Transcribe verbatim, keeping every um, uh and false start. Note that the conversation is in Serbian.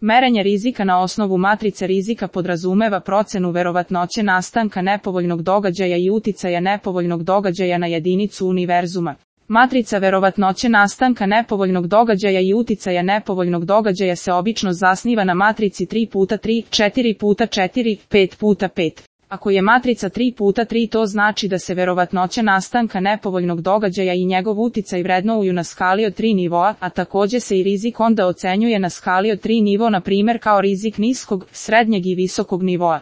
Merenje rizika na osnovu matrice rizika podrazumeva procenu verovatnoće nastanka nepovoljnog događaja i uticaja nepovoljnog događaja na jedinicu univerzuma. Matrica verovatnoće nastanka nepovoljnog događaja i uticaja nepovoljnog događaja se obično zasniva na matrici tri puta tri, četiri puta četiri, pet puta pet. Ako je matrica tri puta tri, to znači da se verovatnoća nastanka nepovoljnog događaja i njegov uticaj vrednuju na skali od tri nivoa, a takođe se i rizik onda ocenjuje na skali od tri nivo, na primjer kao rizik niskog, srednjeg i visokog nivoa.